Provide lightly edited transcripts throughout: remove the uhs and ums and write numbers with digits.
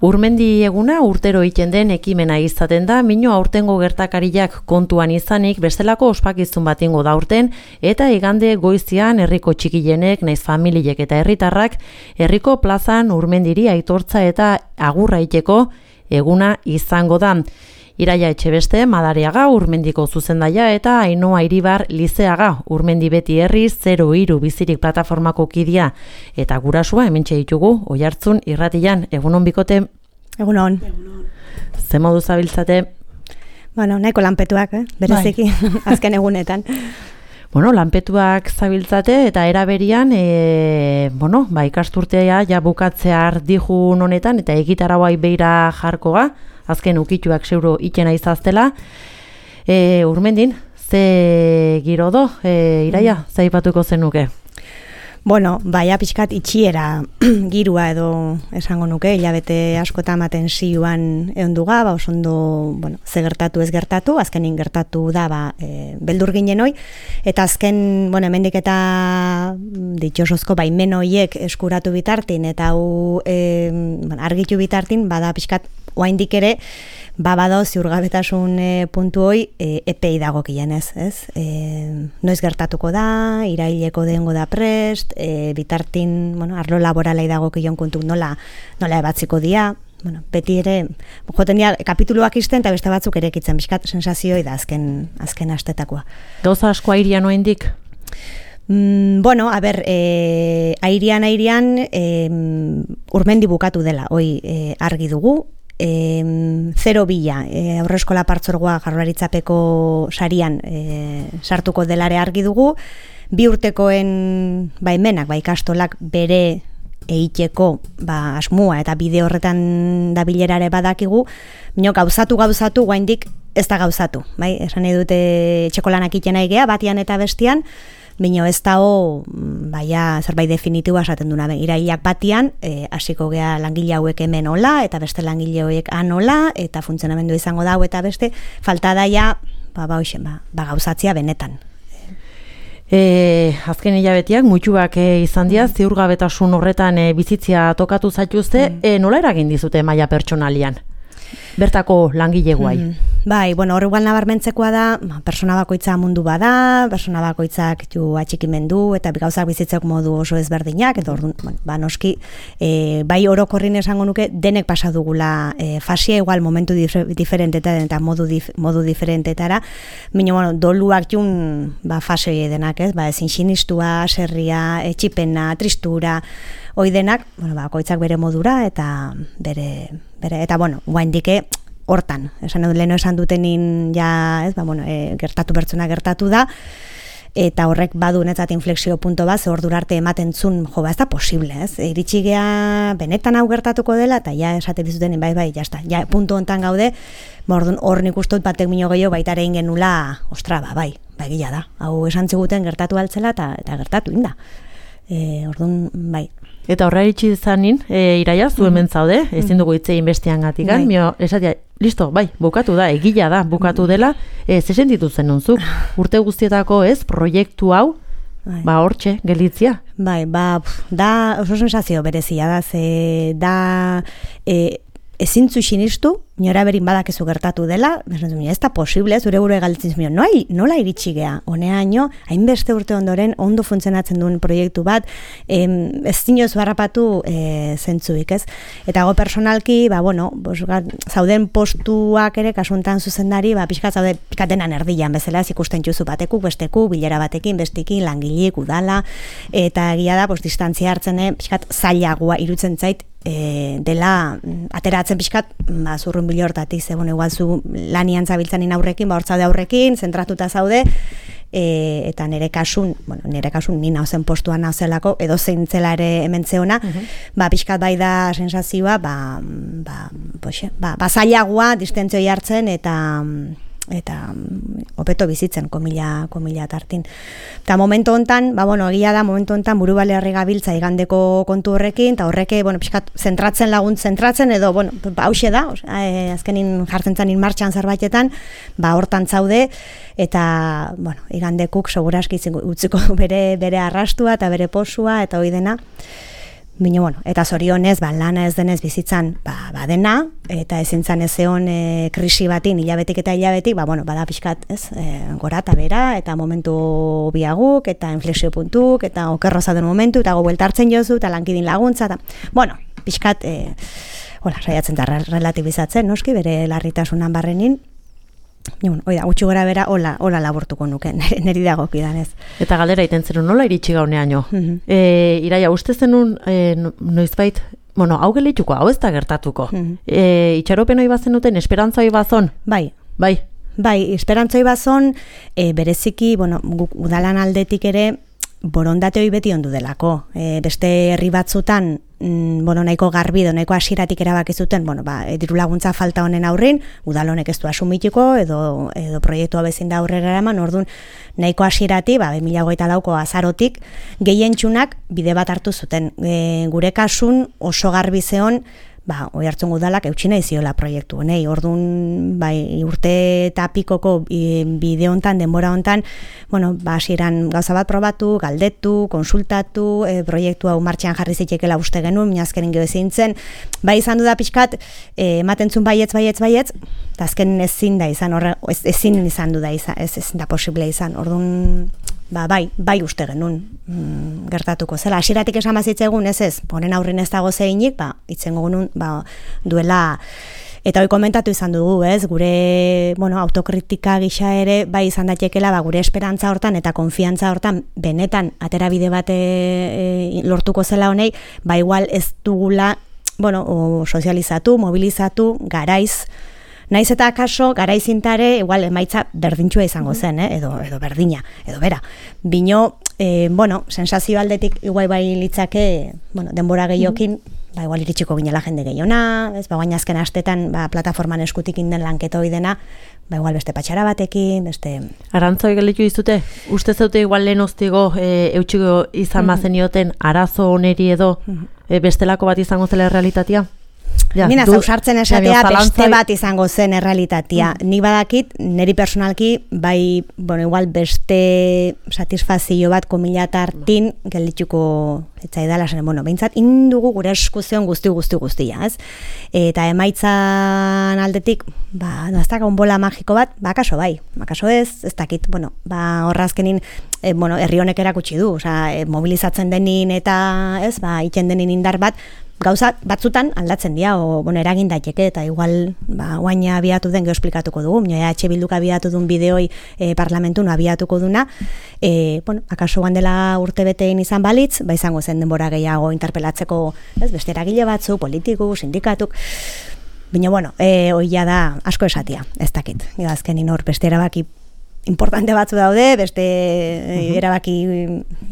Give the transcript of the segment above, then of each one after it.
Urmendi eguna urtero egiten den ekimena izaten da, mino aurtengo gertakariak kontuan izanik bestelako ospakizun bat ingo da aurten, eta igande goizian herriko txikilenek, naiz familiek eta herritarrak, herriko plazan Urmendiri aitortza eta agurra egiteko eguna izango da. Iraia Etxebeste, Madariaga, Urmendiko zuzendaia eta Ainhoa Iribar Lizeaga, Urmendi beti herri 03 bizirik plataformako kidea eta gurasua hementxe ditugu Oihartzun irratian. Egunon bikote? Egunon. Ze modu zabiltzate? Bueno, nahiko lanpetuak, bereziki, azken egunetan. Bueno, lanpetuak zabiltzate eta eraberian, ikasturtea ja bukatzea ardijun honetan eta egitarauai beira jarkoa, azken ukituak zeuro itxena izaztela. Urmendin, ze giro do, Iraia, zaipatuko zenuke? Bueno, baia pixkat itxiera girua edo esango nuke, hilabete askota ematen zioan eonduga, osondo, ze gertatu ez gertatu, azkenin gertatu da, beldur ginen hoi, eta azken, hemendik eta ditxosozko baimen hoiek eskuratu bitartin, eta hau argitu bitartin, bada pixkat oaindik ere, badao ziurgabetasun puntu hoi epei dagokien ez? Noiz gertatuko da, iraileko dengo da prest, bitartin, arlo laboralai dagokion kontu nola ebatziko dia, beti ere, joten dira kapituluak izten eta beste batzuk ere ekitzen, bizkat sensazioi da azken astetakoa. Gauza asko airean oendik? Airean, Urmendi bukatu dela, hoi argi dugu, 0-2 aurreskola partzuergoa Jaurlaritzapeko sarian sartuko delare argi dugu, 2 urtekoen baimenak, ikastolak bere egiteko asmua eta bide horretan dabilerare badakigu, gauzatu guaindik ez da gauzatu, esan nahi dute etxeko lanak itxena egea, batian eta bestian, bino ez dago zerbait definitiboa esaten duna. Irailak batian, hasiko gea langile hauek hemen hola, eta beste langile hauek han hola, eta funtzionamendu izango dago eta beste, falta daia, gauzatzia benetan. Azken hilabetiak, mutxuak izan dira, ziurgabetasun horretan bizitzia tokatu zaituzte, nola eragin dizute maila pertsonalian? Bertako langile guai. Hor igual nabarmentzekoa da, persona bakoitza mundu bada, persona bakoitzak atxikimendu, eta gauzak bizitzeko modu oso ezberdinak, eta noski, orokorrin esango nuke, denek pasa dugula fasia igual momentu diferentetan eta modu diferentetara, baina doluak jun fase denak, ezin sinistua, serria, etxipena, tristura, hoi denak, bakoitzak bere modura, eta guaindike hortan, leheno esan dutenin gertatu bertzuna gertatu da, eta horrek badu netzat inflexio punto bat, ze ordura arte ematen zun, ez da posible, iritsi gea benetan hau gertatuko dela, eta ja esate bizuten, jazta, ja puntu hontan gaude, hor nik ustot batek mino gehiago baita ere ingenula, gila da, hau esan ziguten gertatu altzela, eta gertatu inda. Eta horra iritsi zanin, Iraia, zu hemen zaude, ezin dugu hitzein bestean gatikan, esatia, listo, bukatu da, egila da, bukatu dela, ze sentitu zen nonzuk, urte guztietako proiektu hau, hortxe, gelitzia? Da, oso sensazio berezia da, ezintzu sinistu, nora berin badakezu gertatu dela, ez da posible, zure gure galditzen zuen, nola iritsi gea, honeaino, hainbeste urte ondoren, ondo funtzionatzen duen proiektu bat, ez zinoz barrapatu zentzuik, ez? Eta go personalki, zauden postuak ere, kasuntan zuzendari, pixkat zaude pikatenan erdian bezala, ikusten juzu batekuk, bestekuk, bilera batekin, bestekin, langileek, udala, eta egia da, distantzia hartzen, pixkat zailagoa irutzen zait, dela ateratzen pixkat zurrun bilo hortatik, igual zu lanian zabiltzanin aurrekin, hortzaude aurrekin, zentratuta zaude, eta nire kasun ni nauzen postuan nauzelako, edo zeintzela ere hemen zeona, pixkat bai da sensazioa, zailagoa distentzioi hartzen, eta hobeto bizitzen, komila tartin. Eta momentu hontan, egia da, momentu hontan buru balearri gabiltza igandeko kontu horrekin, eta horreke, pixkat, zentratzen edo, hause da, azkenin jartzen zanin martxan zerbaitetan, hortan zaude, eta, igandekuk seguraski utziko bere arrastua eta bere posua, eta hoi dena. Bino, bueno, eta zorionez, lana ez denez bizitzan, badena, eta ezin zan ez egon krisi batin, hilabetik eta hilabetik, bada pixkat, ez, gora eta bera, eta momentu biaguk, eta inflexio puntuk, eta okerro zaten momentu, eta bueltartzen jozu, eta lankidin laguntza, eta, pixkat, saiatzen da relatibizatzen, noski, bere larritasunan barrenin, oida, gutxi gora bera, hola laburtuko nuke, neri dagokidan ez. Eta galdera iten zenun, nola iritsi gauneaino? Iraia, uste zenun, noizbait, hau gelituko, hau ez da gertatuko. Itxaropen hoi bazenuten, esperantza hoi bazon? Bai, esperantza hoi bazon, bereziki, guk udalan aldetik ere, borondate hoi beti ondu delako. Beste herri batzutan, nahiko garbi edo nahiko hasieratik erabaki zuten, diru laguntza falta honen aurrin, udal honek ez du asumitiko edo proiektua bezin da aurrera eraman, orduan nahiko hasieratik, 2024ko azarotik, gehientsunak bide bat hartu zuten. Gure kasun oso garbi zeon, Oiartzun udalak eutxina iziola proiektu honei. Orduan, urte eta pikoko bide hontan, denbora hontan, hasieran gauza bat probatu, galdetu, konsultatu, proiektu hau martxan jarri zitekela uste genuen, minazkenin geho ezintzen. Izan du da pixkat, ematentzun baietz, eta azken ezin da izan, ezin izan du da izan, ezin da posible izan. Orduan, bai uste genuen gertatuko zela. Hasieratik esan bazitzegun, ez, honen aurrin ez dago zeinik, itzengo genuen, duela, eta hoi komentatu izan dugu, ez, gure, autokritika gisa ere, izan datekela, gure esperantza hortan eta konfiantza hortan, benetan, aterabide bat lortuko zela honei, igual ez dugula, sozializatu, mobilizatu, garaiz, naiz eta akaso, garaizintare, igual, emaitza berdintxua izango zen, edo berdina, edo bera. Bino, sensazio aldetik, igual litzake, denbora gehiokin, igual iritsiko ginela jende gehiona, baina azken astetan, plataforman eskutik inden lanketa hoi dena, igual beste patxara batekin, beste... Arantzoi gelitu izute, uste zeute igual lehen oztigo, eutxiko izan bazenioten, arazo oneri edo, bestelako bat izango zela realitatea? Nina zausartzen esatea beste bat izango zen errealitatea. Nik badakit, niri personalki, igual beste satisfazio bat komilatartin geldituko etzaidala, behintzat, indugu gure eskuzion guztia, ez? Eta emaitzan aldetik, ez da bola magiko bat, akaso ez dakit, horrazkenin, herri honek erakutsi du, mobilizatzen denin eta, ez, iten denin indar bat, gauza batzutan aldatzen dira, eragin daiteke, eta igual, guaina abiatu den geosplikatuko dugu, Bilduk abiatu duen bideoi parlamentun abiatuko duna, akaso dela urte betein izan balitz, izango zen denbora gehiago interpelatzeko, beste eragile batzu, politiku, sindikatuk, baina, hoia da asko esatia, ez dakit, azkenin hor beste erabaki importante batzu daude, beste erabaki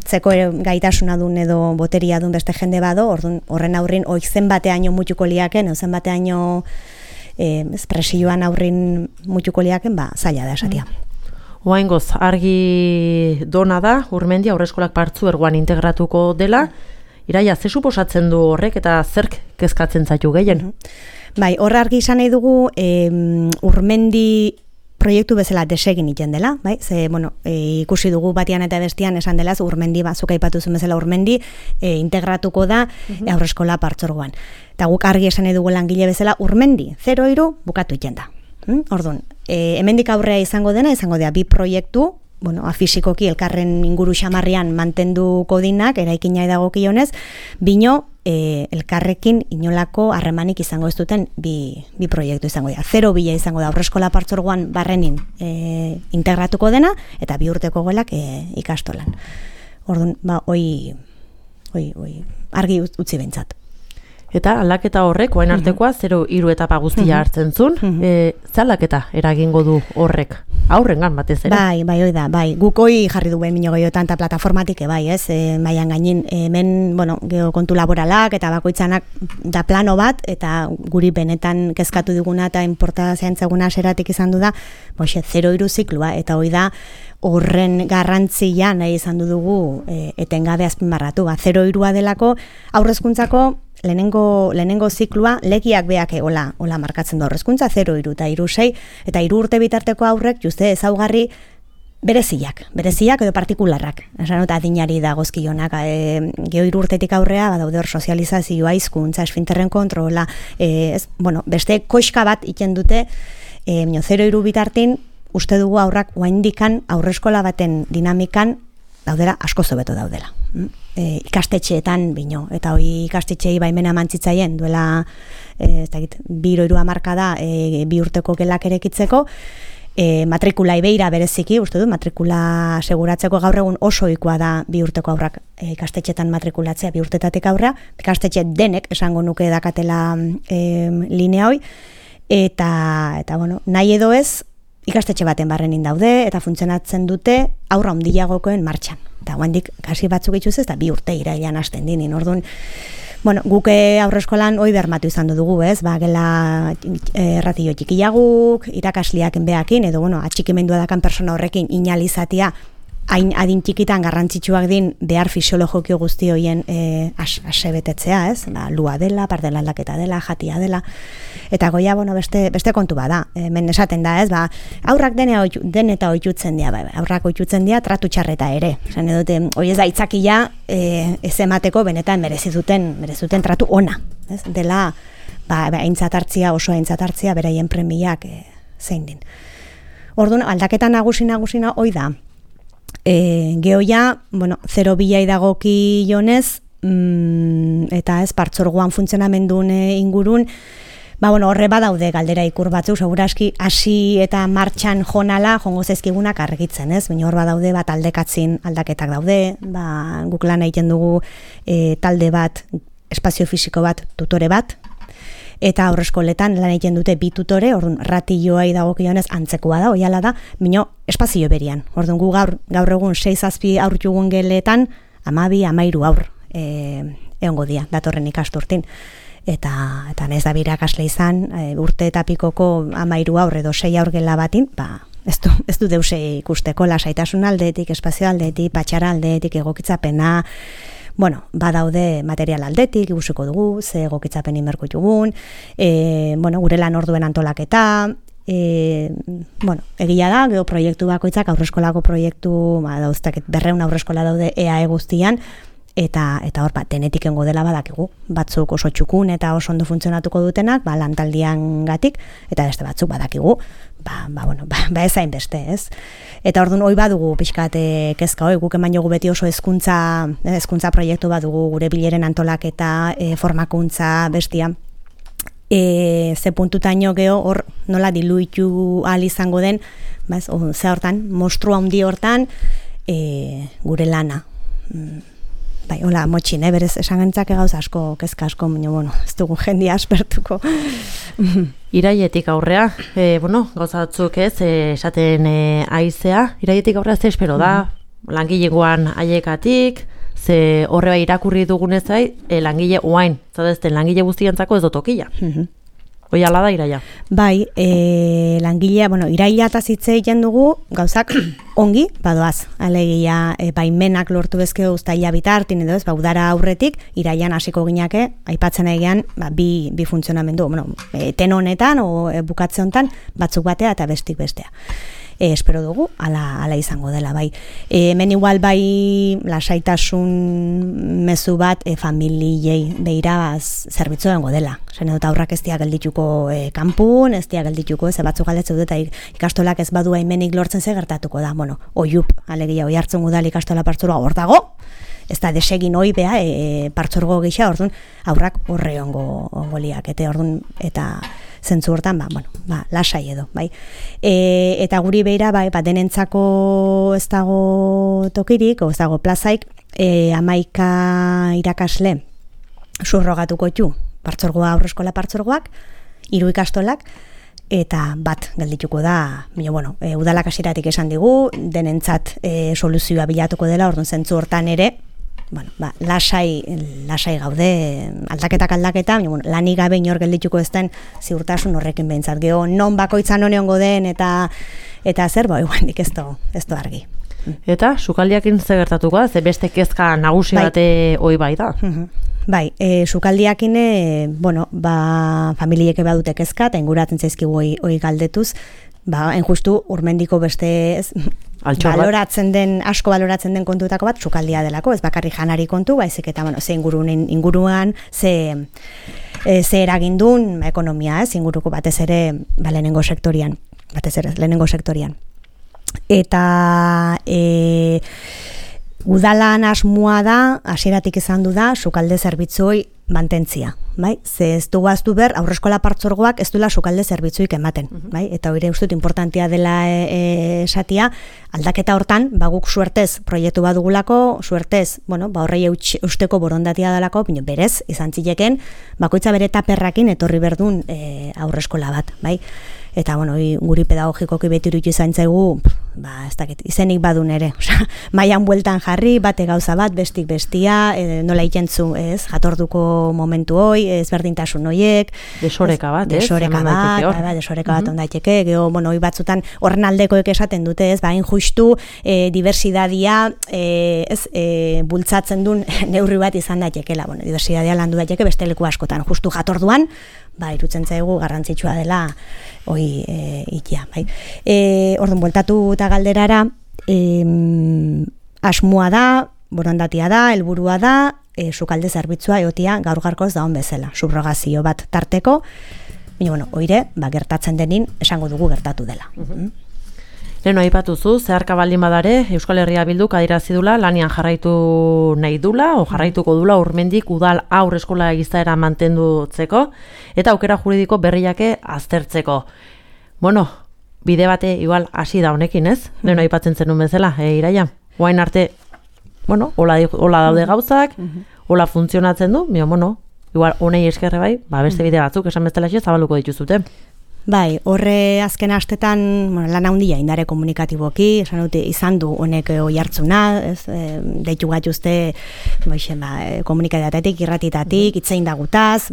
zeko gaitasuna dun edo boteria dun beste jende bado, horren aurrin zen bateaino mutuko liaken, zen bateaino presioan aurrin mutuko liaken, zaila da esatia. Oaingoz, argi dona da, Urmendi Haurreskolak Partzuergoan integratuko dela, Iraia, ze suposatzen du horrek eta zerk kezkatzen zaitu gehien? Horra argi izan nahi dugu, Urmendi proiektu bezala desegin iten dela, ikusi dugu batian eta bestian esan dela, Urmendi, zuk aipatu zuen bezala Urmendi, integratuko da Haurreskola Partzuergoan. Eta guk argi esan nahi dugu langile bezala, Urmendi, 0-3 bukatu iten da. Orduan, hemendik aurrea izango dena, izango dira bi proiektu, fisikoki elkarren inguru xamarrian mantenduko dinak, eraikina edagokionez, bino, elkarrekin inolako harremanik izango ez duten bi proiektu izango dira. 0-2 izango da Haurreskola Partzuergoan barrenin integratuko dena, eta 2 urteko gelak ikastolan. Orduan, hoi argi utzi behintzat. Eta aldaketa horrek, oain artekoa, 0-3 etapa guztia hartzen zuen, ze aldaketa eragingo du horrek? Aurrengan batez ere? Hoi da, guk hoi jarri duen minio gehiotan eta plataformatik, ez, maian gainin, hemen, geokontu laboralak eta bakoitzanak da plano bat, eta guri benetan kezkatu diguna eta importazioantzaguna seratik izan du da, 0-3 ziklua, eta hoi da, horren garrantzia nahi izan dugu etengabe azpimarratu. 0-3 delako aurrezkuntzako lehenengo ziklua legiak beak hola markatzen du aurrezkuntza 0-3 eta 3-6 eta 3 urte bitarteko aurrek juste ezaugarri bereziak edo partikularrak. Esan dut adinari dagozkionak, geho 3 urtetik aurrea, badaude hor sozializazioa, hizkuntza, esfinterren kontrola, beste koiska bat iten dute, 0-3 bitartin, uste dugu aurrak oaindikan aurreskola baten dinamikan daudela, asko zobeto daudela. Ikastetxeetan bino, eta hoi ikastetxeei baimena mantzitzaien, duela 2-3 hamarkada 2 urteko gelak erekitzeko, matrikula ibeira bereziki, uste du, matrikula seguratzeko gaur egun oso ohikoa da 2 urteko aurrak ikastetxetan matrikulatzea 2 urtetatik aurrea, ikastetxe denek esango nuke dakatela linea hoi, eta nahi edo ez, ikastetxe baten barrenin daude, eta funtzionatzen dute aurra handiagokoen martxan. Eta guandik kasi batzuk itxuz ez, eta 2 urte irailean hasten dinin, orduan, guke aurreskolan hoi bermatu izan dugu, ez? Gela erratillo txikiaguk, irakasliak enbeakin, edo, atxikimendua dakan persona horrekin inalizatia, hain adin txikitan garrantzitsuak din behar fisiologiko guzti hoien asebetetzea, ez? Lua dela, pardela aldaketa dela, jatia dela, eta goia, beste kontu bada, hemen esaten da, ez? Aurrak den eta oitutzen dira, aurrak oitutzen dira, tratu txarreta ere. Esan edute, hoi ez da itzakia ez emateko benetan merezuten tratu ona, ez? Dela, aintzatartzia, oso aintzatartzia, beraien premiak zein din. Orduan, aldaketa nagusina hoi da, gehoia, 0 bilai dagoki jonez, eta ez partzorgoan funtzionamendun ingurun, horre badaude galdera ikur batzuk, seguraski hasi eta martxan jongo zezkigunak argitzen, ez? Baina hor badaude bat aldekatzin aldaketak daude, guk lan egiten dugu talde bat, espazio fisiko bat, tutore bat, eta aurreskoletan lan egiten dute 2 tutore, orduan ratilloai dagokionez antzekoa da, oiala da, bino espazio berian. Orduan gu gaur egun 6-7 aurtugun geletan, 12-13 aur egongo dia, datorren ikasturtin. Eta nez da birakasle izan, urte eta pikoko 13 aur edo 6 aur gela batin, ez du deuse ikusteko lasaitasun aldetik, espazio aldetik, patxara aldetik, egokitzapena, badaude material aldetik, ikusiko dugu, ze egokitzapen inberko dugun, gure lan orduen antolaketa, egia da, geho proiektu bakoitzak, aurreskolako proiektu, dauztak 200 aurreskola daude EAE guztian, eta hor, denetik engo dela badakigu, batzuk oso txukun eta oso ondo funtzionatuko dutenak, lantaldian gatik, eta beste batzuk badakigu, ez hain beste, ez? Eta orduan hoi badugu pixkate kezka hoi, guk eman jogu beti oso hezkuntza proiektu badugu, gure bileren antolaketa, formakuntza, bestia, ze puntutaino geho hor nola diluitu ahal izango den, ze hortan, monstrua handi hortan, gure lana. Hola, motxin, berez esan gantzake gauz asko, kezka asko, ez dugu jendia aspertuko. Iraietik aurrea, gauza batzuk ez, esaten aizea, iraietik aurrea ze espero da, langilegoan aiekatik, ze horreba irakurri dugunez langile oain, zadezten langile guztientzako ez dotokila. Hoi ala da iraia? Bai, langilea, iraila eta zitze egiten dugu, gauzak ongi, badoaz. Alegia, baimenak lortu bezkeo uztaila bitartin edo ez, udara aurretik, irailan hasiko gineke, aipatzen egean, bi funtzionamendu, ten honetan, bukatze honetan, batzuk batea eta bestik bestea. Espero dugu, ala izango dela, bai. Hemen igual bai lasaitasun mezu bat familiei beira zerbitzu dengo dela. Zene dut aurrak ez diak geldituko kanpun, ez diak geldituko, ze batzuk galetzen dut, eta ikastolak ez badu haimenik lortzen ze gertatuko da. Oiup, alegia, oi hartzen gudal ikastola partzurua hor dago, ez da desegin hoi beha, partzurgo gisa, orduan aurrak horre ongo liak, eta zentzu hortan, lasai edo, bai. Eta guri beira, denentzako ez dago tokirik, ez dago plazaik, 11 irakasle surrogatuko txu, partzorgoa, aurreskola partzorgoak, 3 ikastolak, eta bat geldituko da, udalak hasiratik esan digu, denentzat soluzioa bilatuko dela, orduan zentzu hortan ere, lasai gaude, aldaketa, lanik gabe inor geldituko ez den ziurtasun horrekin behintzat. Geho, non bakoitzan honeongo den eta zer, iguandik ez du argi. Eta, sukaldiakin ze gertatuko da, ze beste kezka nagusi bate hoi bai da? Bai, sukaldiakin, familieke badute kezka, eta inguratzen zaizkigu hoi galdetuz, enjustu urmendiko beste asko baloratzen den kontutako bat sukaldia delako, ez bakarrik janari kontu, baizik eta ze inguruan, ze eragindun ekonomia, ez inguruko batez ere lehenengo sektorian. Eta udalan asmoa da, hasieratik izan du da, sukalde zerbitzuoi mantentzia, bai? Ze ez du gaztu ber, aurreskola partzuergoak ez duela sukalde zerbitzuik ematen, bai? Eta hori ustut importantea dela esatia, aldaketa hortan, guk suertez proiektu bat dugulako, suertez, horrei eusteko borondatia dalako, berez, izan zileken, bakoitza bere taperrakin etorri berdun aurreskola bat, bai? Eta, guri pedagogikoki beti iruditu izan zaigu, ez dakit, izenik badun ere, mailan bueltan jarri, bate gauza bat, bestik bestia, nola ikentzu, ez, jatorduko momentu hoi, ezberdintasun hoiek. Desoreka bat, desoreka bat ondaiteke, geho, hoi batzutan horren aldekoek esaten dute, ez, hain justu, diversidadia, bultzatzen duen neurri bat izan daitekela, diversidadia landu daiteke beste leku askotan, justu jatorduan, irutzen zaigu garrantzitsua dela ikia, bai. Orduan, bueltatu eta galderara, asmoa da, borondatia da, helburua da, sukalde zerbitzua egotia gaur-gaurkoz daun bezala, subrogazio bat tarteko, oire, gertatzen denin, esango dugu gertatu dela. Leno aipatuzu, zeharka baldin badare, Euskal Herria Bilduk adierazi dula lanian jarraitu nahi dula, o jarraituko dula urmendik udal haur eskola izaera mantendutzeko, eta aukera juridiko berriake aztertzeko. Bide bate igual hasi da honekin, ez? Leno aipatzen zenun bezala, Iraia? Oain arte, hola daude gauzak, hola funtzionatzen du, igual honei eskerre bai, beste bide batzuk esan bezala zabaluko dituzute. Bai, horre azken astetan lan handia indare komunikatiboki, esan dute izan du honek oihartzuna, deitu gatuzte komunikatibatetik, irratitatik, itzein dagutaz,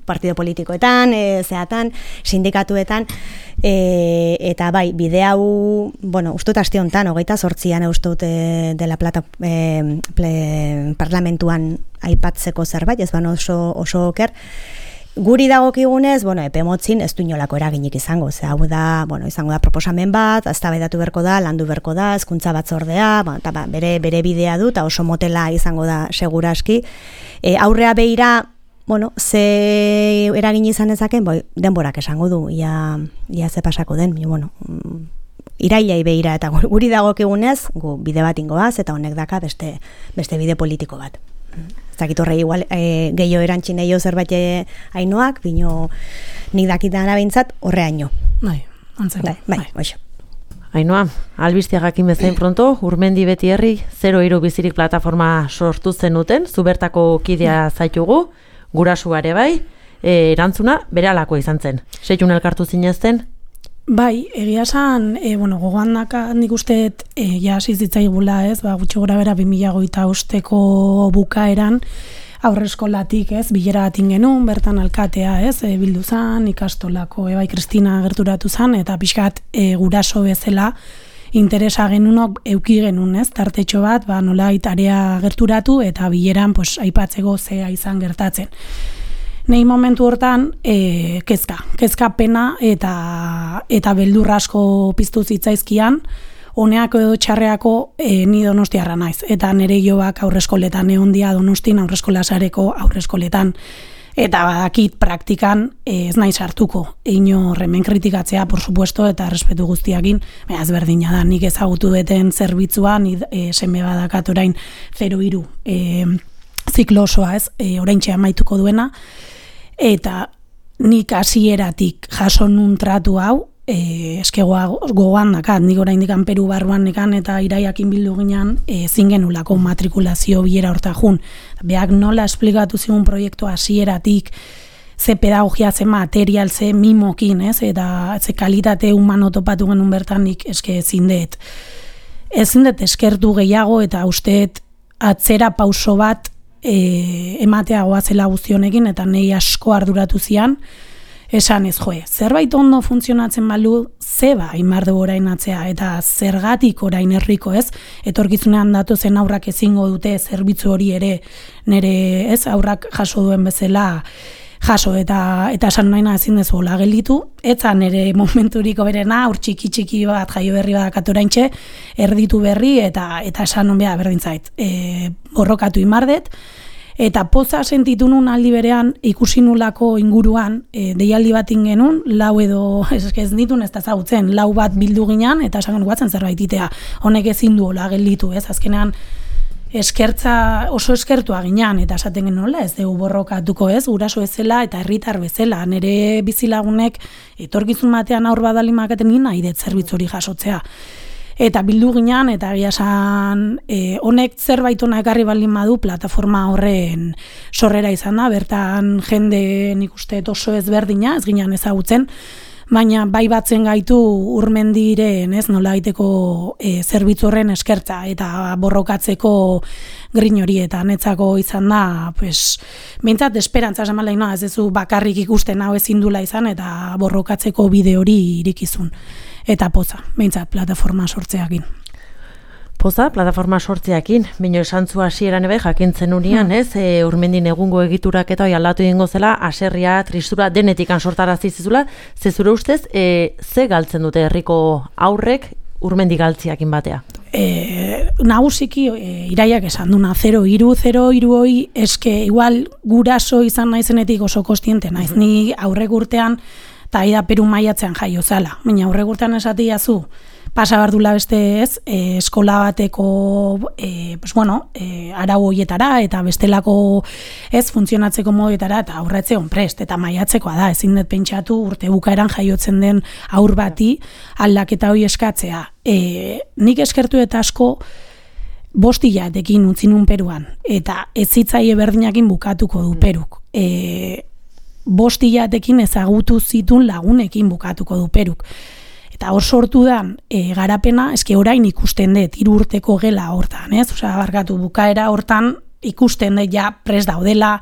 partido politikoetan, zeatan, sindikatuetan, eta bai, bide hau, ustut aste honetan, 28an ustut dela parlamentuan aipatzeko zerbait, ez oso oker, guri dagokigunez, epe motzin ez du inolako eraginik izango, hau da, izango da proposamen bat, eztabaidatu berko da, landu berko da, hezkuntza batzordea, eta bere bidea du, eta oso motela izango da seguraski. Aurrea beira, ze eragin izan ezaken, denborak esango du, ia ze pasako den, irailai beira, eta guri dagokigunez, gu bide bat ingoaz, eta honek daka beste bide politiko bat. Zakit horre igual gehiago erantxin eio zerbait hainoak, bino nik dakitan abintzat horre haino. Bai, oixo. Hainoa, albistia jakin bezain pronto, Urmendi beti herri 03 bizirik plataforma sortu zenuten, zubertako kidea zaitugu, gurasuare bai, erantzuna beralako izan zen. Seitun elkartu zinezten? Bai, egia esan, gogoan nik usteet hasi zitzaigula, gutxi gora bera 2025ko bukaeran aurreskolatik, bilera batin genuen, bertan alkatea, bildu zan, ikastolako, bai Kristina gerturatu zan, eta pixkat guraso bezala interesa genunok euki genuen, tartetxo bat, nola itarea gerturatu, eta bileran aipatzeko zea izan gertatzen. Nei momentu hortan kezka pena eta beldur asko piztu zitzaizkian, honeako edo txarreako ni donostiarra naiz. Eta nire jobak aurreskoletan egon dia Donostin aurreskolasareko aurreskoletan. Eta badakit praktikan ez naiz hartuko. Inor hemen kritikatzea, por supuesto, eta respetu guztiakin, ez berdina da, nik ezagutu deten zerbitzua, seme badakat orain 03 ziklo osoa, oraintxe amaituko duena, eta nik hasieratik jaso nun tratu hau, eskegoa gogoan dakat, nik oraindik Peru barruan nekan eta Iraiakin bildu ginean ezin genulako matrikulazio bilera horta jun. Beak nola esplikatu zigun proiektu hasieratik, ze pedagogia, ze material, ze mimokin, eta ze kalitate humano topatu genuen bertan nik ezin dut eskertu gehiago eta usteet atzera pauso bat ematea goazela guztionekin, eta nei asko arduratu zian, esan ez zerbait ondo funtzionatzen balu, zeba imardu orain atzea, eta zergatik orain herriko etorkizunean datozen aurrak ezingo dute zerbitzu hori ere, nire aurrak jaso duen bezala jaso eta esan naina ezin dezu hola gelditu, etzan ere momenturiko berena, ur txiki bat jaio berri badak oraintxe, erditu berri eta esan non bea berdin zait. Borrokatu imardet, eta poza sentitu nun aldi berean ikusi nulako inguruan, deialdi bat ingenun, lau edo ez ditun ez da zautzen, lau bat bildu ginean, eta esan guatzen zerbait itea, honek ezin du hola gelditu, ez, azkenean eskertza oso eskertua ginean, eta esaten genola, ez dugu borrokatuko ez, guraso bezala eta herritar bezala, nire bizilagunek etorkizun batean aur badalimak egin nahi dut zerbitzuri jasotzea. Eta bildu ginean, eta egia esan honek zerbait ona ekarri baldin badu plataforma horren sorrera izan da, bertan jende nik uste oso ezberdina, ez ginean ezagutzen, baina bai batzen gaitu Urmendiren, ez, nola daiteko zerbitzu horren eskertza eta borrokatzeko grin hori, eta netzako izan da, pues, behintzat esperantza esan baldin, ez duzu bakarrik ikusten hau ezin dula izan, eta borrokatzeko bide hori irikizun. Eta poza, behintzat, plataforma sortzeakin. Poza, plataforma sortzeakin, baina esan zu hasieran ebe jakintzen unian, ez, Urmendin egungo egiturak eta hori aldatu egingo zela, haserria, tristura, denetikan sortarazi zizula, ze zure ustez, ze galtzen dute herriko aurrek Urmendi galtziakin batea? Nagusiki iraiak esan duna, 0-3 hoi, eske igual guraso izan naizenetik oso kostiente naiz, ni aurrek urtean, eta aida Peru maiatzean jaio zala, baina aurrek urtean esatia zu, pasa bardula beste ez, eskola bateko arau hoietara eta bestelako ez funtzionatzeko moduetara eta aurretzeon prest eta maiatzekoa da, ezin dut pentsatu urte bukaeran jaiotzen den aur bati aldaketa hori eskatzea. Nik eskertu eta asko 5 hilabetekin utzi nun Peruan eta ez zitzaile berdinakin bukatuko du Peruk. 5 hilabetekin ezagutu zitun lagunekin bukatuko du Peruk. Eta hor sortu da garapena, eske orain ikusten dut 3 urteko gela hortan, ez? Osea, barkatu bukaera hortan ikusten dut ja prest daudela,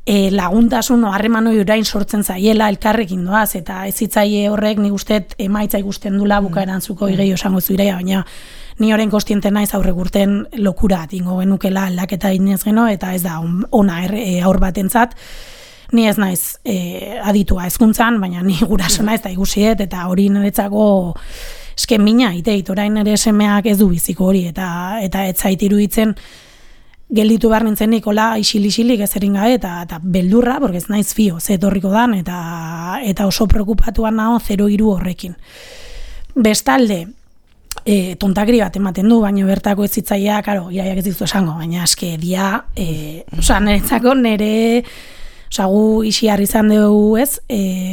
laguntasun harreman hori orain sortzen zaiela, elkarrekin doaz, eta ez hitzaile horrek nik uste emaitza ikusten dula bukaeran zuko gehiago esango zuirea, baina ni orain kostiente naiz aurrek urten lokura atingo genukela aldaketa inez geno, eta ez da ona aur batentzat. Ni ez naiz aditua hezkuntzan, baina ni guraso naiz eta ikusiet, eta hori niretzako esken mina, iteit, orain ere semeak ez du biziko hori, eta ez zait iruditzen gelditu behar nintzen nikola isilik ez erin gabe, eta beldurra, porque ez naiz fio, ze etorriko dan, eta oso preokupatuan nago 0-3 horrekin. Bestalde, tontakri bat ematen du, baina bertako ez zitzaia, karo, iraiak ez dizu esango, baina eske dia, niretzako nire gu isiar izan dugu ez,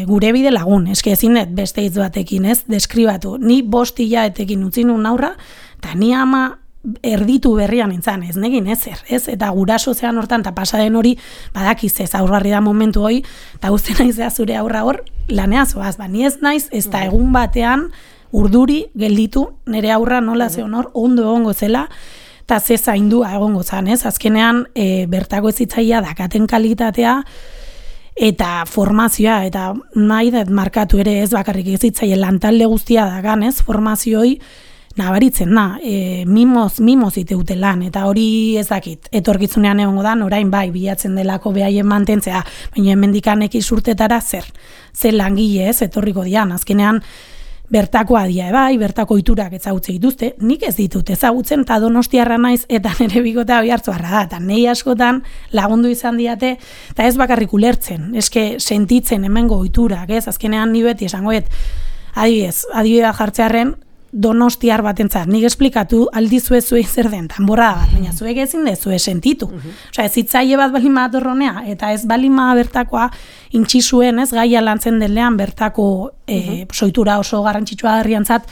gure bide lagun, eske ezin dut beste hitz batekin ez, deskribatu. Ni 5 hilabetekin utzi nun aurra, eta ni ama erditu berrian nintzen, ez negin ezer, ez? Eta guraso zean hortan, eta pasaden hori, badakiz ez aurrarri da momentu hori, eta guzti naizea zure aurra hor, lanea zoaz, ni ez naiz, ez da egun batean urduri gelditu, nire aurra nola zeon hor, ondo egongo zela, eta ze zaindua egongo zan, ez? Azkenean, bertako ez zitzaia dakaten kalitatea, eta formazioa, eta nahi dut markatu ere ez bakarrik ez zitzaia lantalde guztia dagan, ez? Formazioi nabaritzen da, mimoz iteute lan, eta hori ez dakit, etorkitzunean egongo da, orain bai, bilatzen delako behaien mantentzea, baina hemendikan urtetara zer langile ez, etorriko dian, azkenean, bertakoa dia bai, bertako iturak ezagutze dituzte, nik ez ditut ezagutzen, eta Donostiarra naiz, eta nire bikotea Oiartzuarra da, eta nei askotan lagundu izan diate, eta ez bakarrik ulertzen, eske sentitzen hemengo iturak, ez, azkenean ni beti esangoet, adibidea jartzearren, Donostiar batentzat, nik esplikatu aldizue zuei zer den, tanborrada bat, baina zuek ezin dezue sentitu. Osea, ez hitzaile bat balin bat horronea, eta ez balin bat bertakoa intxizuen, ez, gaia lantzen denean bertako soitura oso garrantzitsua herriantzat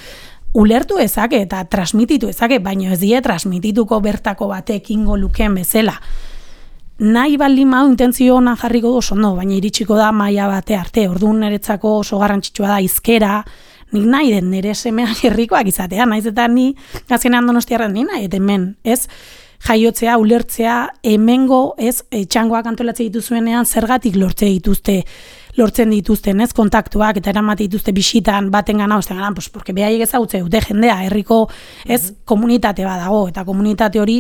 ulertu ezake eta transmititu ezake, baina ez die transmitituko bertako batek ingo lukeen bezala. Nahi baldin madu intentzio ona jarriko du oso ondo, baina iritsiko da maila bate arte, orduan niretzako oso garrantzitsua da hizkera, nik nahi den nire semeak herrikoak izatea, naiz eta ni azkenean Donostiarren ni nahi, eta hemen, ez, jaiotzea, ulertzea, hemengo, ez, txangoak antolatzen dituzuenean zergatik lortzen dituzten, ez, kontaktuak, eta eramate dituzte bisitan, baten gana, osten gana, pues, porque behaiek ezagutze dute jendea, herriko, ez, komunitate bat dago, eta komunitate hori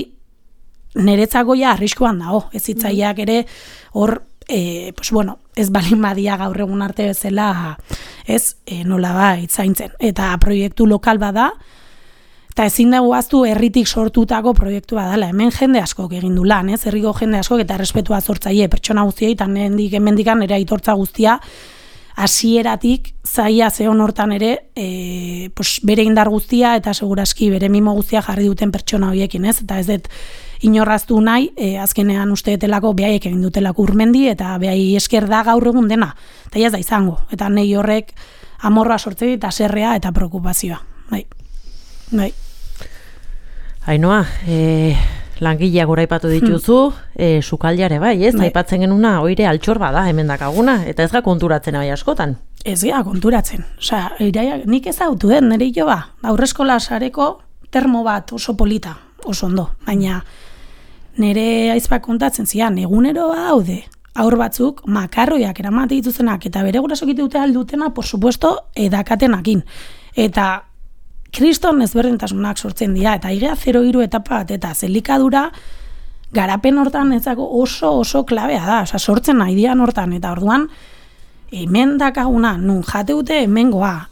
niretzako ja arriskuan dago, ez zitzaileak ere hor pues bueno, ez balin badia gaur egun arte bezala, ez, nolabait zaintzen. Eta proiektu lokal bada, eta ezin dugu aztu herritik sortutako proiektu badala. Hemen jende askok egin du lan, ez? Herriko jende askok eta errespetua zortzaile pertsona guztiei, eta hemendikan ere aitortza guztia, hasieratik zaila zeon hortan ere, pues bere indar guztia eta seguraski bere mimo guztia jarri duten pertsona horiekin, ez? Eta ez dut inorraztu nahi, azkenean uste detelako behaiek egin dutelako urmendi, eta behai esker da gaur egun dena, eta ez da izango. Eta nahi horrek amorroa sortze eta serrea eta preokupazioa. Bai. Ainoa, langileak goraipatu dituzu, sukaldiare bai, ez? Aipatzen genuna, oire altxor bada hemen dakaguna, eta ez ga konturatzen bai askotan. Ez ga konturatzen. Osea, nik ezautu den, nire hilo aurreskola sareko termo bat oso polita, oso ondo, baina nire aizpak kontatzen zian, egunero daude, aur batzuk makarroiak eramate dituzenak, eta bere gurasok dute aldutena, por supuesto, edakatenakin. Eta kriston ezberdintasunak sortzen dira, eta igea 0-3 etapa bat, eta zelikadura garapen hortan ezako oso klabea da, oza, sortzen nahi dian hortan, eta orduan, hemen dakaguna, nun jate dute hemengoa,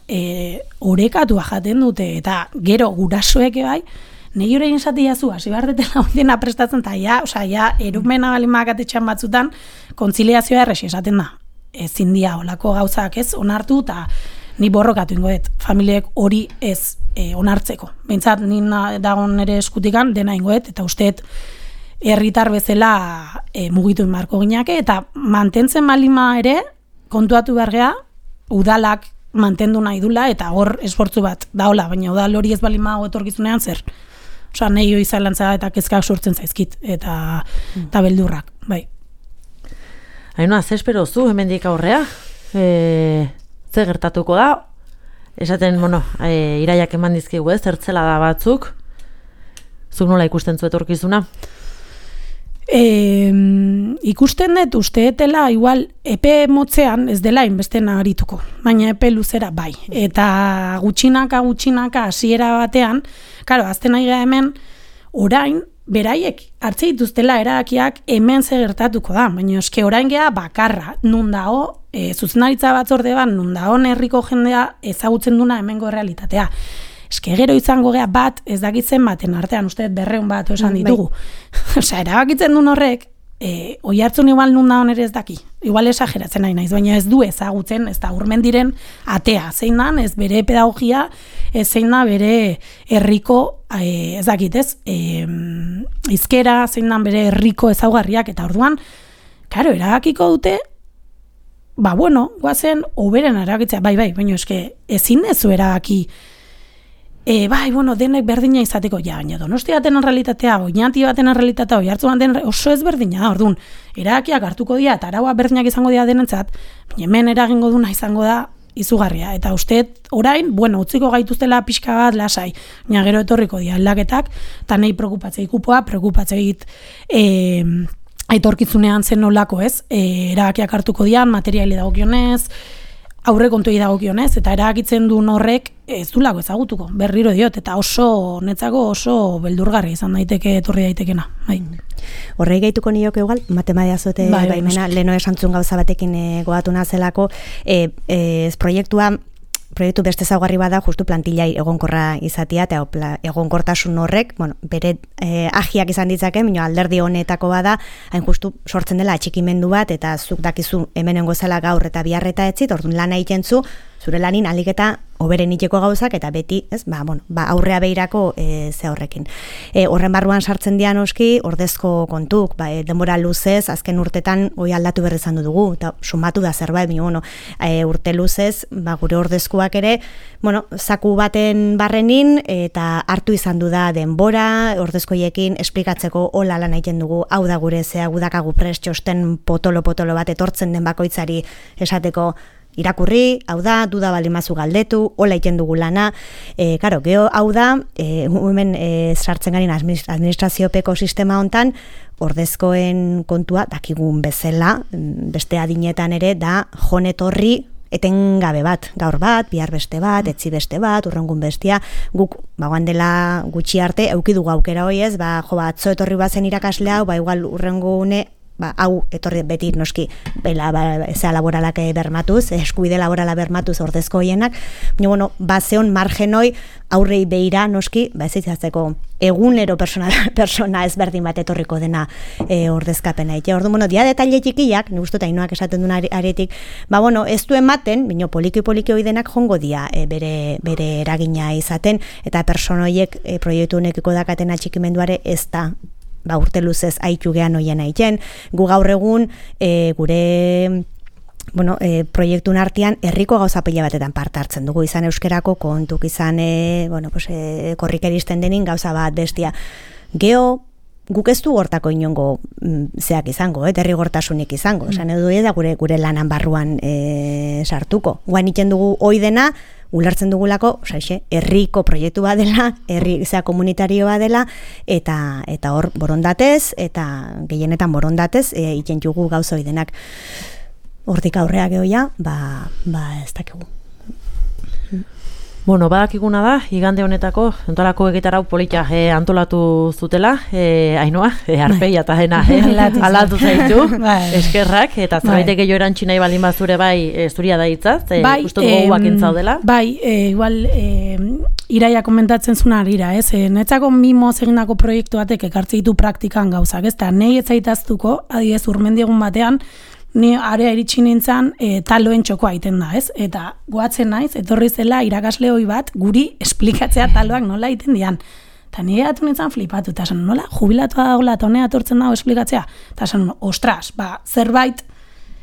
orekatua jaten dute, eta gero gurasoek bai, negi horrein zati jazu, hasi behar detela ondena prestatzen, eta ja, erumena balimakatetxean batzutan, kontziliazioa erresi esaten da. Ezin dia olako gauzak ez onartu, eta ni borrokatu ingoet, familiek hori ez onartzeko. Behintzat, nina dagoen ere eskutikan, dena ingoet, eta usteet herritar bezala mugitu inmarko ginake, eta mantentzen balima ere, kontuatu bergea, udalak mantendu nahi dula, eta hor esfortzu bat daola, baina udal hori ez balima etorkizunean zer. Osa, nahi hoi zalantza eta kezkak sortzen zaizkit, eta beldurrak, bai. Ainoa, ze espero zu hemendik aurrea? Ze gertatuko da? Esaten, iraiak eman dizkigu ez, zertzela da batzuk? Zuk nola ikusten zu etorkizuna? Ikusten dut usteetela igual epe motzean ez dela inbeste nabarituko, baina epe luzera bai. Eta gutxinaka hasiera batean, karo, azten nahi hemen orain beraiek hartze dituztela erabakiak hemen ze gertatuko da, baina eske orain gea bakarra, nun dago zuzendaritza batzorde bat, nun dago herriko jendea ezagutzen duna hemengo realitatea. Eske gero izango gea bat, ez dakitzen baten artean, uste 200 bat esan ditugu. Osea, erabakitzen duen horrek, oi hartzun igual nun dagoen ere ez daki. Igual esageratzen nahi naiz, baina ez du ezagutzen, ez da urmen diren atea. Zein dan, ez bere pedagogia, ez zein da bere herriko, ez dakit ez, izkera, zein dan bere herriko ezaugarriak, eta orduan, karo, erabakiko dute, guazen, oberen erabakitzea, bai, baina eske, ezin ezu erabaki, denek berdina izateko, baina Donostia baten realitatea, Oñati baten realitatea, Oiartzun baten oso ezberdina, orduan, erabakiak hartuko dira, eta araua berdinak izango dira denentzat, baina hemen eragingo duna izango da izugarria, eta usteet orain, utziko gaituztela pixka bat lasai, baina gero etorriko dira aldaketak, eta nahi preokupatzei kupoa, preokupatzei aitorkizunean zen nolako ez, erabakiak hartuko dian, materiali dagokionez, aurre kontuei dagokionez, eta erabakitzen duen horrek ez du lago ezagutuko, berriro diot, eta netzako oso beldurgarri izan daiteke, etorri daitekena. Bai. Horrei gehituko nioke igual, matemadia zote baimena, leheno esantzun gauza batekin goatu nazelako, proiektu beste ezaugarri bada justu plantillai egonkorra izatea, eta egonkortasun horrek, bere agiak izan ditzake, baina alderdi honetako bada, hain justu sortzen dela atxikimendu bat, eta zuk dakizu hemenengo zela gaur eta biharreta etzit, orduan lana egiten zu, zure lanin alik eta oberen iteko gauzak, eta beti, aurrea behirako ze horrekin. Horren barruan sartzen dian oski, ordezko kontuk, denbora luzez, azken urtetan hoi aldatu berri izan dugu, eta sumatu da zerbait, urte luzez, gure ordezkoak ere, zaku baten barrenin, eta hartu izan du da denbora, ordezkoiekin esplikatzeko hola lan egiten dugu, hau da gure zea, gudakagu prest txosten potolo bat etortzen den bakoitzari esateko, irakurri, hau da, duda balimazu galdetu, hola egiten dugu lana, geho hau da, hemen sartzen garen administraziopeko sistema hontan, ordezkoen kontua dakigun bezala, beste adinetan ere, da jonetorri etengabe bat, gaur bat, bihar beste bat, etzi beste bat, urrengun bestia, guk, bagoan dela gutxi arte, eukidugu aukera hoi ez, atzo etorri bazen irakasle hau, igual urrengune, hau etorri beti noski zea laboralak bermatuz, eskubide laborala bermatuz ordezko hoienak, bueno, zeon margenoi aurrei beira noski, ez itzatzeko egunero persona ezberdin bat etorriko dena ordezkapena. Orduan, bueno, dia detaile txikiak, nik uste eta Ainoak esaten duen aretik, bueno, ez du ematen, bino poliki hoi denak jongo dia bere eragina izaten, eta personoiek proiektu honekiko dakaten atxikimenduare ez da urte luzez haitu gehan hoien haiten. Gu gaur egun gure proiektun artean herriko gauza pila batetan parte hartzen dugu, izan euskerako kontuk, izan korrik eristen denin gauza bat bestia. Geo, guk ez du hortako inongo zeak izango, derrigortasunik izango, esan edo da gure lanan barruan sartuko. Guan iten dugu hoi dena, ulertzen dugulako, herriko proiektu bat dela, zea komunitario bat dela, eta hor borondatez, eta gehienetan borondatez, iten dugu gauza hoi denak. Hortik aurrea gehoia, ez dakigu. Bueno, badakiguna da, igande honetako, entorako egitarau polita antolatu zutela, Ainoa, arpeia eta jena, aldatu zaitu, eskerrak, eta zerbaitek gehiago erantzi nahi baldin bazure zuria da hitzaz, uste dugu guakin zaudela. Igual, Iraia komentatzen zuna arira, netzako mimoz egindako proiektu batek ekartze ditu praktikan gauzak, ez da, nahi ez zaitaztuko, adibidez urmendiegun batean, ni area iritsi nintzen taloen txokoa egiten da, ez? Eta goatzen naiz, etorri zela irakasle hoi bat guri esplikatzea taloak nola egiten dian. Eta nire atu nintzen flipatu, eta esan, nola, jubilatua dagoela, eta honea etortzen dago esplikatzea. Eta esan, ostras, zerbait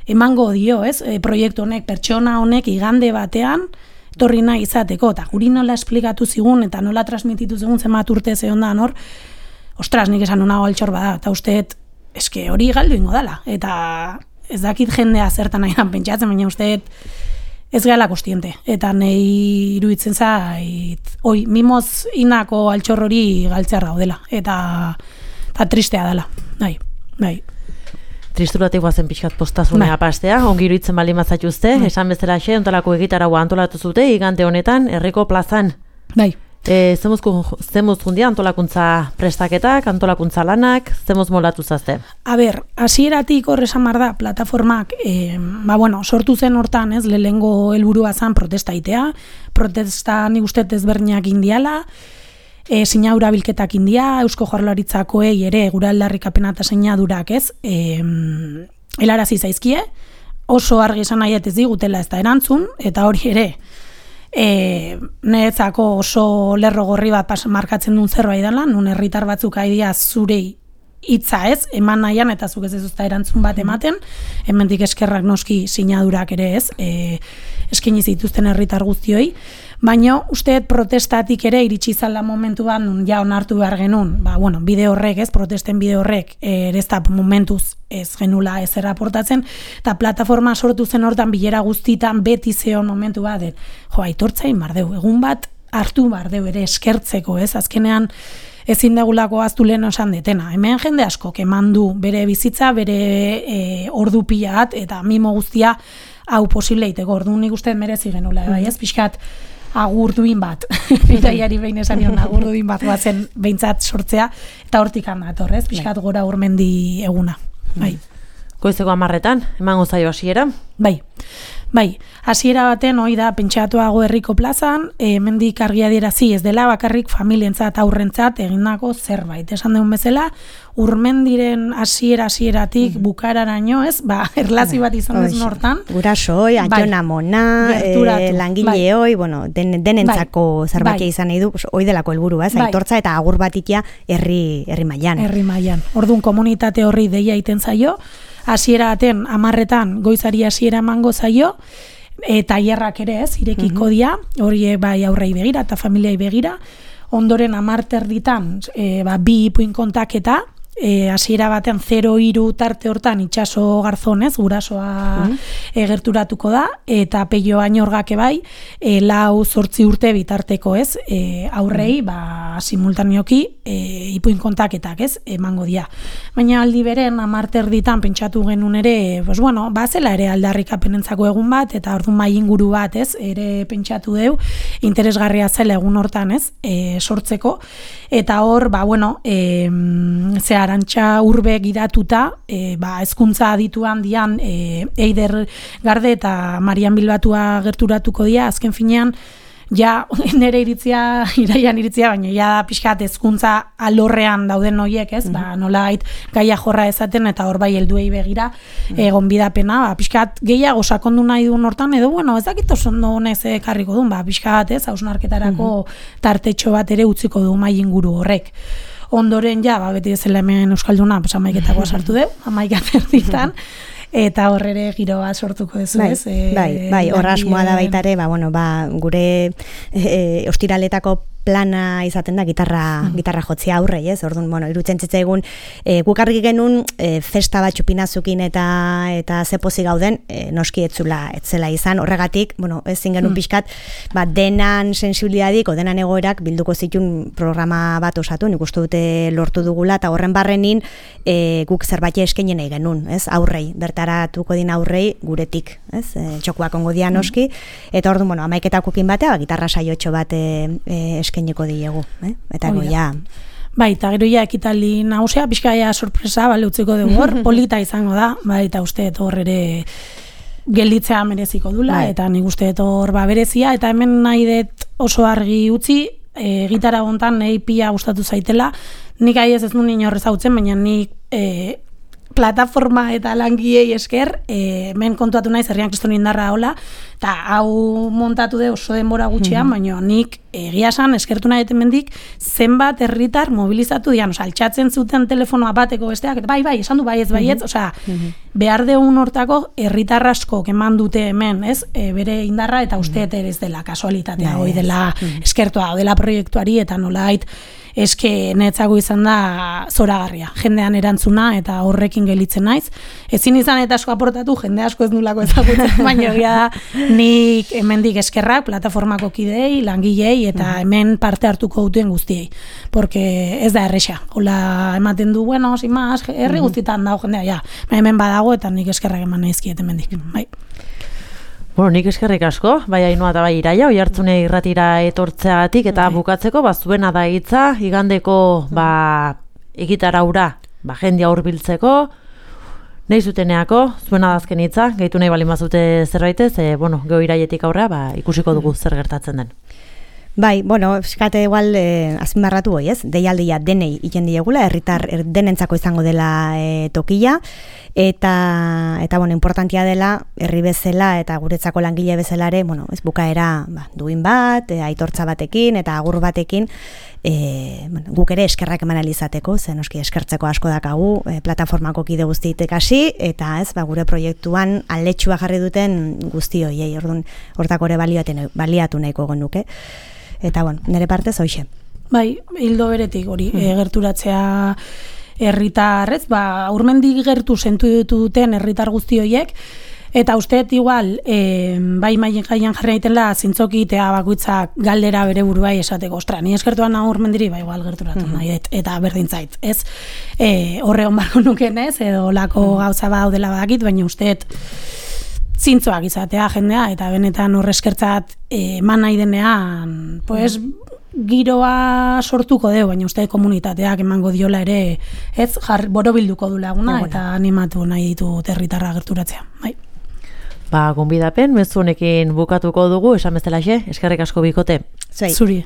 emango dio, ez? Proiektu honek, pertsona honek, igande batean, etorri nahi izateko, eta guri nola esplikatu zigun, eta nola transmititu zigun zenbat urte zehondan hor, ostras, nik esan unago altxor bada, eta usteet, eske hori galdu ingo dala, eta ez dakit jendea zertan nahian pentsatzen, baina usteet ez gala kostiente. Eta nahi iruditzen zait, mimoz inako altxor hori galtzear daudela. Eta tristea dela. Bai. Tristuratik guazen pixkat postazunea pastea, ongi iruditzen bali mazatuzte, esan bezala xe, ontolako egitaragua antolatu zute, igande honetan, herriko plazan. Bai. Zemuz jundia antolakuntza prestaketak, antolakuntza lanak, zemuz moldatu zazte? Hasieratik horrezan da, plataformak, sortu zen hortan, lehengo helburua zan protesta itea, protesta nik uste ezberdinak indiala, sinaura bilketak india, Eusko Jaurlaritzakoei ere gura aldarrikapena eta sinadurak helarazi zaizkie, oso argi esan nahi ez digutela ez da erantzun, eta hori ere, niretzako oso lerro gorri bat markatzen duen zerbait dela, nun herritar batzuk aidia zurei hitza eman nahian eta zuk ez ezuzta erantzun bat ematen, hemendik eskerrak noski sinadurak ere eskaini zituzten herritar guztioi, baina usteet protestatik ere iritsi zala momentuan nun ja onartu behar genuen, bide horrek protesten bide horrek ere ez da momentuz ez genula ez erraportatzen, eta plataforma sortu zen hortan bilera guztitan beti zeon momentu bat, aitortzain bardeu, egun bat hartu bardeu ere eskertzeko, azkenean ezin degulako aztu lehen osan detena. Hemen jende asko eman du bere bizitza, bere ordu pila bat, eta mimo guztia hau posible iteko. Orduan nik uste merezi genula, pixkat agurduin bat, iraiari behin esan nion agurduin bat bazen behintzat sortzea, eta hortik handator, pixkat gora urmendi eguna. Goizeko 10:00 emango zaio hasiera? Bai, hasiera baten hoi da pentsatuago herriko plazan, hemendik argi adierazi ez dela bakarrik familientzat aurrentzat egindako zerbait. Esan deun bezala, urmendiren hasieratik bukararaino, erlazio bat izan dezun hortan. Gurasoi, Antona Mona, langileoi, denentzako zerbait izan nahi du, hoi delako helburua, aitortza eta agur batitia herri mailan. Herri mailan. Orduan komunitate horri deia iten zaio, hasiera baten 10:00 goizari hasiera emango zaio, tailerrak ere irekiko dira, hori bai aurrei begira eta familiai begira, ondoren 10:30 bi ipuin kontaketa, hasiera batean 0-3 tarte hortan itxaso garzonez, gurasoa gerturatuko da, eta peio ainorgake bai, 4-8 urte bitarteko aurrei, simultaneoki ipuin kontaketak emango dira. Baina aldi beren 10:30 pentsatu genuen ere, zela ere aldarrikapenentzako egun bat, eta orduan mai inguru bat ere pentsatu deu, interesgarria zela egun hortan, ez, sortzeko, eta hor, ze Arantxa Urbe gidatuta, hezkuntza adituan dian Eider Garde eta Marian Bilbatua gerturatuko dira, azken finean, ja, nire iraian iritzia, baina ja pixkat hezkuntza alorrean dauden horiek, ez, nolait gaia jorra ezaten, eta hor bai helduei begira, gonbidapena, pixkat gehiago sakondu nahi duen hortan, edo, ez dakit oso ondo honez ekarriko duen, pixkat, ez, hausnarketarako tartetxo bat ere utziko du mahai inguru horrek. Ondoren, beti ezela hemen Euskalduna, amaiketakoa sartu deu, 11:00 eta horrere giroa sortuko duzu, ez? Bai, horra asmoa da baita ere, gure ostiraletako plana izaten da gitarra jotzea aurrei, ez? Orduan, irutzen zitzaigun guk argi genuen festa bat txupinazukin eta zepozi gauden, noski etzela izan, horregatik, ezin genuen pixkat, denan sensibilidadik, denan egoerak bilduko zituen programa bat osatu, nik uste dute lortu dugula, eta horren barrenin guk zerbait eskaini nahi genuen, ez? Aurrei, bertaratuko din aurrei guretik, ez? Txokuak ongo dian noski, eta orduan, 11:00 batea, gitarra saiotxo bat eskainiko diegu, eta goia. Bai, eta gero ekitaldi nagusia, pixka sorpresa, utziko dugu hor, polita izango da, eta uste hor ere gelditzea mereziko dula, eta nik uste hor berezia, eta hemen nahi dut oso argi utzi, gitarra gontan nahi pila gustatu zaitela, nik ez nuen inorrez hautzen, baina nik plataforma eta langiei esker, hemen kontuatu naiz Herrian Kriston Indarra hola, eta hau montatu de oso denbora gutxian, baina nik egia esan eskertu nahi hemendik zenbat herritar mobilizatu dian, altxatzen zuten telefonoa bateko besteak, bai, esan du baietz, behar deun hortako herritar asko eman dute hemen, ez, bere indarra, eta usteet ere ez dela kasualitatea, hoi dela eskertua, dela proiektuari, eta nolait, eske netzago izan da zoragarria, jendean erantzuna eta horrekin gelitzen naiz. Ezin izan eta asko aportatu, jende asko ez nulako ezagutzen, baina egia da nik hemendik eskerrak, plataformako kidei, langilei eta hemen parte hartuko duten guztiei. Porque ez da erresa. Hola ematen du, sin más, herri guztietan dago jendea, hemen badago eta nik eskerrak eman naizkiet hemendik. Bai. Nik eskerrik asko, bai Ainhoa eta bai Iraia, Oihartzune irratira etortzeagatik eta bukatzeko, zuena da hitza, igandeko egitara hura, jendia hurbiltzeko, nahi zuteneako, zuena da azken hitza, gehitu nahi balin bazute zerbaitez, geho Iraietik aurra, ikusiko dugu zer gertatzen den. Bai, eskate igual azpimarratu hoi, ez? Deialdia denei iten diegula, herritar denentzako izango dela tokia, eta importantia dela herri bezala eta guretzako langile bezalare, ez bukaera duin bat, aitortza batekin eta agur batekin, guk ere eskerrak eman alizateko, zen oski eskertzeko asko dakagu, plataformako kide guztiitek hasi, eta ez, gure proiektuan aldetxua jarri duten guzti hoiei, hortako ere baliatu nahiko genuke. Eta, nire partez, hoxe. Bai, hildo beretik hori, gerturatzea herritarrez, urmendik gertu sentu duten herritar guzti horiek, eta usteet igual, bai maien gaian jarri naitela, zintzoki eta bakoitzak galdera bere buruai esateko, ostra, ni eskertuan nago urmendiri, igual gerturatu nahi, eta berdintzait, ez? Horre hon barko nuken ez, edo lako gauza daudela badakit, baina usteet zintzoak izatea jendea, eta benetan horre eskertzat eman nahi denean, giroa sortuko deu, baina uste komunitateak emango diola ere, ez, borobilduko du laguna, eta animatu nahi ditu herritarra gerturatzea. Bai. Gonbidapen, mezu honekin bukatuko dugu, esan bezalaxe, eskerrik asko bikote. Zuri.